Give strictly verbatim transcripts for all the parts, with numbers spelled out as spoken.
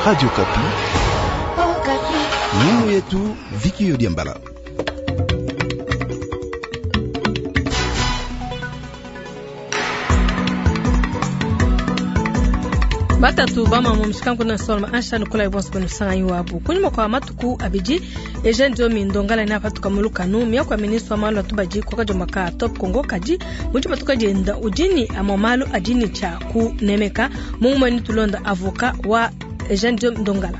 Radio Kapi. Oh, Kapi. Nyimbo yetu Viki Yodiambala. Batatu bamama mushikangu na solma ansha nukola ibonso banu sanga iwabu kunyuma kwa matuku abidi Eugene Diomi Ndongala na patuka mulukanu miya kwa ministre wa malu atubaji kwa kajomba ka Top Congo kaji muji matuka jenda ujini amamalu ajini cha kunemeka mungu ni tulonda avoka wa Eugene Diomi Ndongala.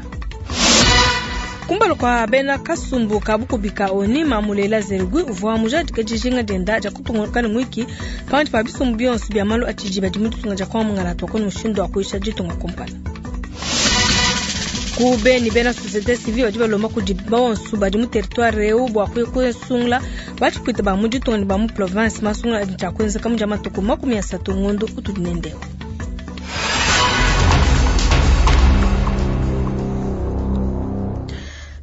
Kumbalo kwa bena kasumbu kabukubika oni mamulela zerugwi uvwa mujadi kajijinga denda ja kutunga mwiki panti pa bisumbu bionso bya malu atiji badi mutunga ja kwa mungala twakoni mushindo wa kuisha jitunga kompala. Kubeni bena société civile badi balomba kudi bonso badi mu territoire eu bwa kuesungula bachipwita ba mu ditunga ne ba mu province masungula adi tshia kuenzeka mu dia matuku makumi asatu ngondo utudi nendeo.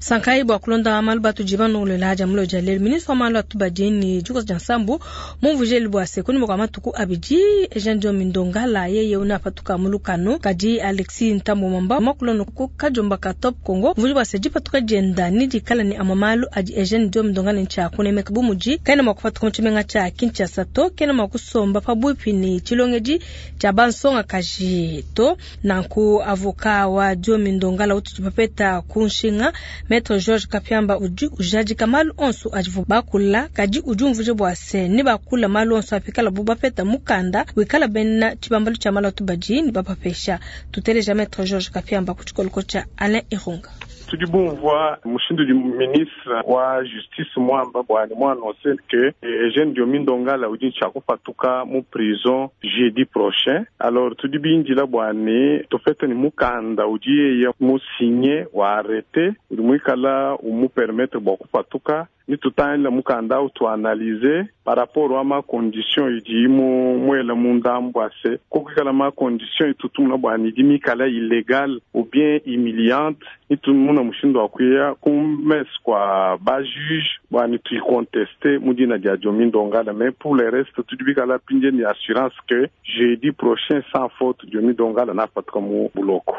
Sankai bwa kulonda malu batu jibano lela jamulo jalel ministre wa malu atubadi ni juko jansambu mumvujeli bwa sekuni mwa matuku abidi Eugene Diomi Ndongala yeye unapatuka mulukano kadi Alexis Ntambo Mamba makulono ku kajomba ka Top Congo mvuji bwa seji patuka jenda ni dikala ni amamalu adi Eugene Diomi Ndongala ncha kunemeka bumuji kaina makupatuka muchimenga cha Kinshasa to kena makusomba pabuipi ni chilongeji cha bansonga kaji to nanku avoka wa Diomi Ndongala utupapeta kunshinga Maître George Kapiamba uji ujaji kamalu onso ajivu bakula kaji uji umvuje bwa se ni bakula malu onso apikala buba peta mukanda wikala bena chibambalu cha malu atubaji ni bapapesha tuteleja Maître George Kapiamba kuchikoloko cha Alain Irunga. Tudibumvwa mushindu di ministre wa justice mwamba bwani mwanonse ke Eugene Diomi Ndongala udi tshakupatuka mu prison jeudi prochain. Alors tudibinjila bwani tofete ni mukanda udi yeye musinye wa arrêté udi muikala umu permettre bwa kupatuka ni tutangila mukanda utuanalyse par rapport a ma condition idi mu mwela mundambu ase kokikala ma condition itutumuna bwani idi mikala illégale ou bien humiliante nitumuna mushindu wa kuya kumes kwa ba juge bwani tuiconteste mudina dia Diomi Ndongala. Mais pour le reste tudibikala pinje ni assurance que jeudi prochain sans faute Diomi Ndongala napatuka mu buloko.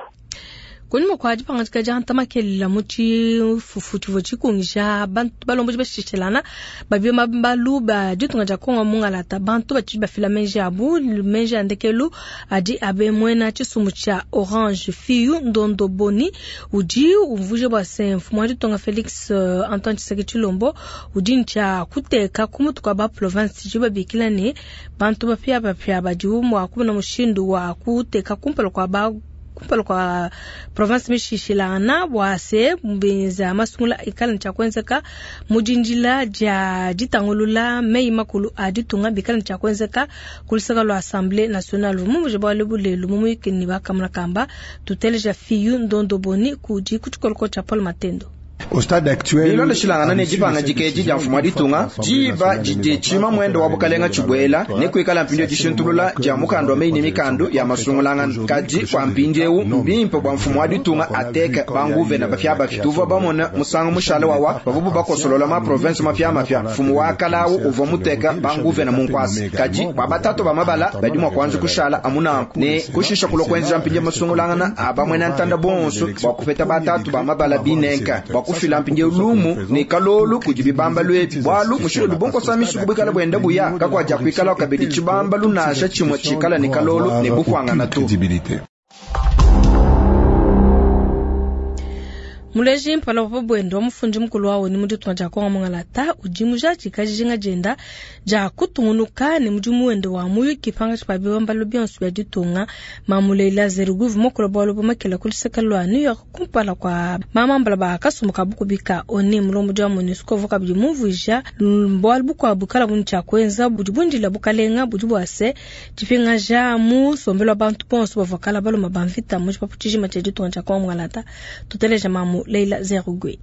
Kunyuma kwa dipangadika dia ntamakelela mu tshifufu tshivua tshikungisha bantu balomboji bashishelana babio mabalu ba ditunga dia Kongo mungalata bantu batshidi bafila menji abu menji a ndekelu adi abe mwena tshisumbu tshia Orange Fiyu Ndondo Boni udi umvuje bua se mfumu wa ditunga Felix uh, Antoine Tshisekedi Tshilombo udi ntshia kuteka ku mutu kua ba province tshidi babikila ne bantu bapia bapia badi mua kumona mushindu wa kuteka kumpala kua ba kumpala kwa province mishishilana bwa se mbenza masungula ikala ncha kwenzeka mujinjila ja ditangulula mei makulu a ditunga bikala ncha kwenzeka kulisaka lwa Assemblée nationale mumuje bwa lebulelu mumuyikini bakamuna kamba tuteleja Fiyu Ndondo Boni kudi kuchikoloko cha Paul Matendo. Bilonda shilangana ne dipanga dikeji dia mfumu wa ditunga diba didi tshima mwendo wa bukalenga tshibwela ne kuikala mpindio dishintulula dia mukando wa meyi mikando ya masungulangana kadi kwa mpindiewu mbimpe bua mfumu wa ditunga ateke banguvena bapya bapya tuvua bamona musangu mushala wawa bavubu bakosolola ma province mapya mapya mfumu wa kalawu uvua muteka banguvena munkwasa kadi bua batatu ba mabala badi mua kuanza kushala amunanku ne kushisha kulua kuenzeja mpindio masungulangana abamwena ntanda bonso bua kupeta batatu ba mabala binenka bua kufila mpindio lumu ne kalolu kudi bibamba lwebi bwalu mushindu lubonkosa mishiku bwikala bwenda buya kakwaja kwikala kabidi tshibamba lunasha tshimwe tshikala ne kalolu ne bukwangana tu. Muleji mpala wa bwendo wa mufundi mukulu wawo ni muditunga dia Kongo mungalata udi mujaji kajijinga jenda dia kutungunuka ne mudimu wende wa muyuki pangatshi pa bibambalu bionso bia ditunga mamuleila zeruguvu mokolo bwalo bumakela kuliseka lwa New York kumpala kwa mamambala ba kasumbu ka bukubika oni mulombodi wa MONUSCO vuka bidi mumvuija bwalu bukuabu kala buni tshia kuenza budi bundila bukalenga budi bua se dipingaja mu sombelo wa bantu bonso bavua kala baloma ba mvita mu tshipapu tshijima tshia ditunga dia Kongo mungalata tuteleja mamu Leila Zerugwe.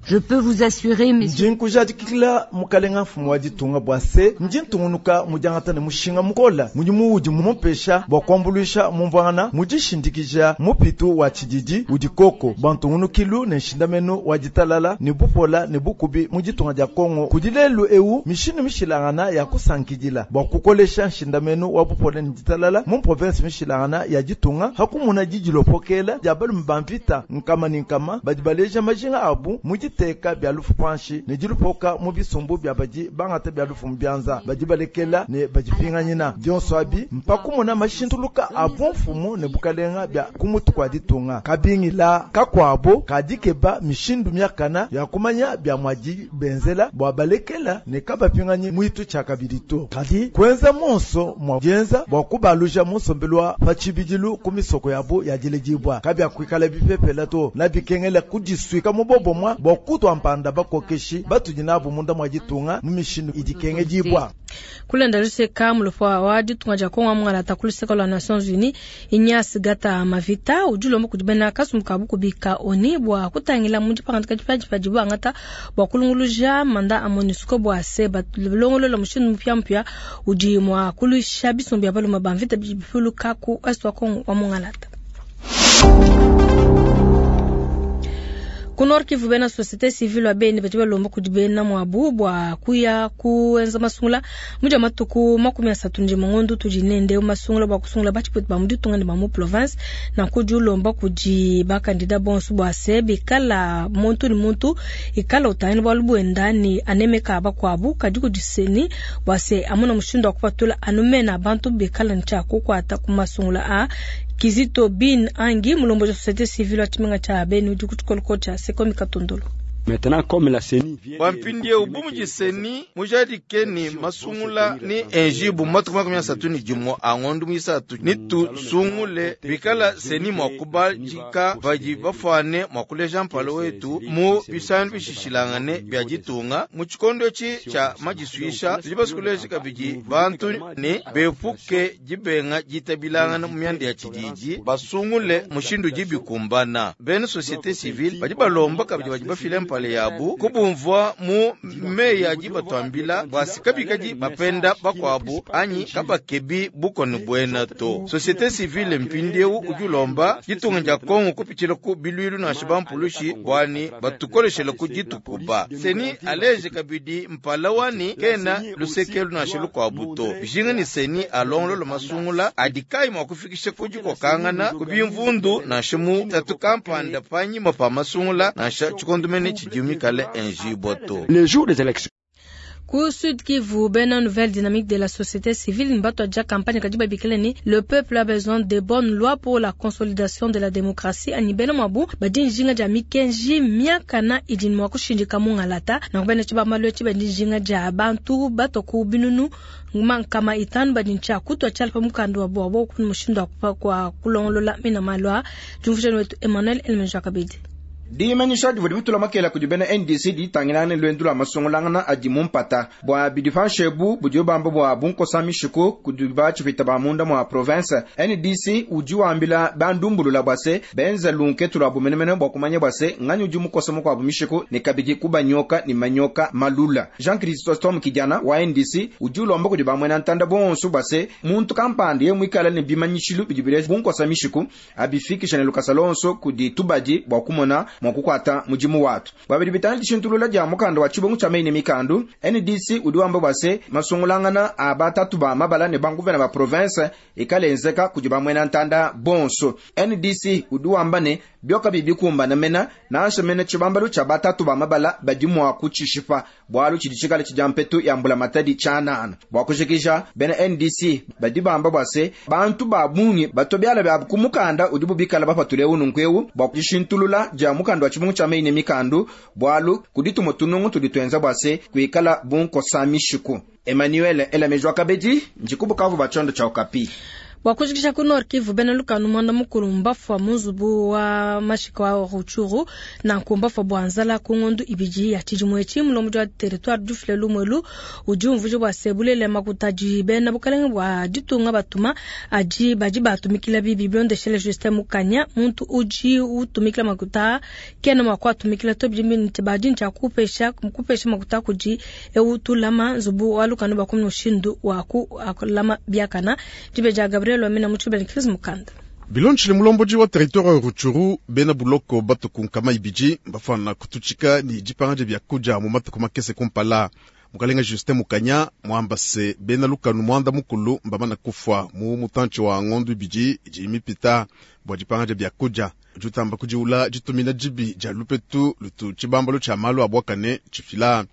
Je peux vous assurer, messieurs. Ndi nkujadikila mukalenga mfumu wa ditunga bua se ndi ntungunuka mudiangata ne mushinga mukola mudimu udi mumupesha bua kuambuluisha mumvuangana mudishindikija mupitu wa tshididi udi koko bua ntungunukilu ne nshindamenu wa ditalala ne bupola ne bukubi mu ditunga dia Kongo kudi lelu eu mishindu mishilangana ya kusankidila bua kukolesha nshindamenu wa bupola ne ditalala mu province mishilangana ya ditunga hakumuna didilopokela dia balume ba mvita nkama ne nkama badi baleja majinga abu mu diteka bia lufu panshi ne dilupoka mu bisumbu bia badi bangata bia lufu mu bianza badi balekela ne badipinganyina dionso abi mpakumuna mashintuluka a bumfumu ne bukalenga bia kumutu kwa ditunga kabingila kakwabo kadikeba mishindu miakana ya kumanya bia mwadi benzela bua balekela ne kabapinganyi mwitu tshia kabidi to kadi kwenza monso mwa dienza bua kubaluja musombelu wa patshibidilu ku misoko yabo ya diledibwa kabia kuikala bipepela to na bikengela kudisuika mubobo mwa bua kutwa mpanda bakokeshi batudi nabo munda mwa ditunga mu mishindu idikengedibwa. Kulenda luseka mulofo wa ditunga dia Kongo mungala kuluseka lwa Nations Unies Ignace Gata Mavita udi ulomba kudi bena kasumbu ka bukubika oni bua kutangila mu dipangadika dipiadipia dibu angata bua kulunguluja manda a MONUSCO bua se balongolola mushindu mupiamupia udi mua kuluisha bisumbu bia balume ba mvita bidi bipuluka ku est wa Kongo wa mungalata. Ku Nord Kivu bena société civile wa Beni badi balomba kudi bena mwabu bua kuya kuenza masungula muja matuku makumi asatu ndi mungondo tudi nende masungula bua kusungula batshipwetu ba mu ditunga ne ba mu province na kudi ulomba kudi bakandida bonso bua se bikala muntu ni muntu ikala utangila bualu buenda ni anemeka bakuabu kadi kudi seni bua se amuna mushindu wa kupatula anumena bantu bikala ntshia kukuata ku masungula a Kizito Bin Angi mulombo wa société civile wa tshimenga tsha Beni udi ku tshikoloko tsha Sekomi Katondolo. Maintenant comme la CENI Wampindie ubumuji CENI mujadike ni masungula ni enjibu matuku makumi asatu ni jimwe angondu mwisatu ni tusungule bikala CENI mwakubajika baji bafwane mwakuleja mpalo wetu mu bisandu bishishilangane bya ditunga mu tshikondo etshi tsha majisuisha tudi basukuleja kabidi bantu ni bepuke dibenga ditabilangana mu myanda ya tshididi basungule mushindu dibikumbana bena société civile badi balomba kabidi badi bafile mpale yabu kubumvwa mu meyi adi batwambila bwasi kabikadi bapenda bakwabu anyi kabakebi bukoni bwena to société civile mpindieu udi ulomba ditunga dia Kongo kupitshila ku bilwilu nansha bampulushi bwani batukoleshela ku ditukuba seni aleje kabidi mpala wani kena lusekelu nansha lukwabu to bijinga ni seni alongolola masungula adi kai mwa kufikisha ku dikokangana ku bimvundu nansha mu tatu kampanda panyima pa masungula nansha tshikondumene tshidimikale enjiboto. Les jours des élections. Ku Sud Kivu, bena nouvelle dynamique de la société civile mbato aja campagne kadi babikile ni le peuple a besoin de bonnes lois pour la consolidation de la démocratie ani bena mwabu badi njinga dia mikenji miakana idi mwa kushindika mungalata na kubena chiba malwe chiba njinga dia bantu bato ku binunu mankama itanu badi ncha kutwa chala pa mukanda wa bwabo ku mushindu wa kwa kulongolola mina malwa jumvusheni wetu Emmanuel Elmenja Kabidi. Dimanyisha divua dibutula makela kudi bena N D C ditangilane lwendu lwa masungulangana adi mumpata bua bidifanshebu budi bamba bua bunkosa mishiku kudi batshipita ba munda mwa province. N D C udi wambila bandumbulula bua se benza lunketu lwa bumenemene bua kumanya bua se nganyi udi mukosa mukuabu mishiku ne kabidi kubanyoka ni manyoka malula. Jean Christophe Kijana wa N D C udi ulomba kudi bamwena ntanda bonso bua se muntu kampanda ye muikala ne bimanyishilu bidi bileja bunkosa mishiku abifikisha ne lukasa lonso kudi tubadi bua kumona mwakukwata mudimu watu. Babidi bitana dishintulula dia mukanda wa tshibongo tsha meyi ne mikandu N D C udi wamba bua se masungulangana a batatu ba mabala ne banguvena ba province ikalenzeka kudi bamwena ntanda bonso. N D C udi wamba ne byoka bibikumbana mena nansha mena tshibambalu tsha batatu ba mabala badi mua kutshishipa bwalu tshidi tshikale tshidia mpetu ya mbula matadi tshanana. Bua kujikija bena N D C badi bamba bua se bantu ba bungi batobiala bya ku mukanda udi bubikala bapatule ununkweu bua kudishintulula dia mukanda wa tshibungu tsha meyi ne mikandu bwalu kudituma tunungu tudi tuenza bua se kuikala bunkosa mishiku. Emmanuel Elamejwa Kabedi njikubukavu ba tshondo tsha Okapi. Bua kujikija ku Nord Kivu, bena lukanu mwanda mukulu mbafua mu nzubu wa mashika wa Rutshuru nanku mbafua bua nzala ku ngondu ibidi ya tshidimu etshi. Mulombodi wa territoire dufile lumwelu udi umvuija bua se bulele makuta adi bena bukalenge bua ditunga batuma adi badi batumikila bibi bilondeshele Justin Mukanya. Muntu udi utumikila makuta kena mua kuatumikila to, bidi badi ntshia kupesha kupesha makuta kudi eu tulama nzubu wa lukanu bua kumona mushindu wa kulama biakana. Dibe dia Gabriel Wamina mutshibele Chris Mukanda. Bilonshile mulombodi wa territoire wa Rutshuru bena buloko batuku nkama ibidi bafana kututshika ni dipanga dia kudia mu matuku makese kumpala. Mukalenga Justin Mukanya mwamba se bena lukanu mwanda mukulu mbamana kufwa mu mutantshi wa ngondu ibidi idi mipita bua dipanga dia kudia. Jutamba kudiula ditumina dibi dia lupetu lutu tshibambalo tshia malu a bwakane tshifila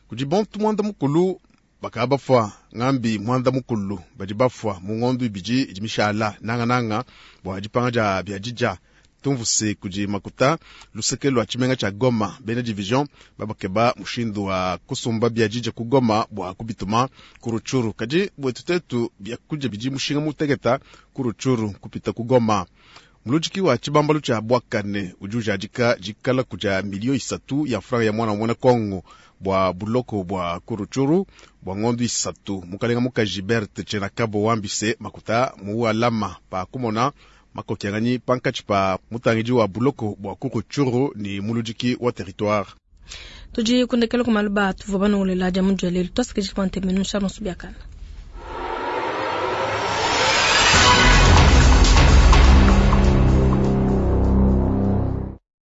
kudi bantu mwanda mukulu bakaba bafwa ngambi mwanda mukulu badi bafwa mu ngondu ibidi idi mishala nangananga bua dipanga dia bia dija. Tumvuse kudi makuta luseke lwa tshimenga tshia Goma bena division babakeba mushindu wa kusumba bia dija ku Goma bua kubituma ku Rutshuru, kadi bwetu tetu bia kudia bidi mushinga muteketa ku Rutshuru kupita ku Goma. Muludiki wa tshibambalu tshia bwakane udi ujadika dikala kudia milio isatu ya franga ya mwana wa mwana Kongo bua buloko bua ku Rutshuru bua ngondu isatu. Mukalenga mukaji Berthe Tchenakabo wambise makuta mu alama pa kumona makokianganyi pankatshi pa mutangidi wa buloko bua ku Rutshuru ni muludiki wa territoire. Tudi kundekela ku maluba tuvua banongolela dia mu dia lelu. Twasikijika kwa ntemenu Charles Subiakana.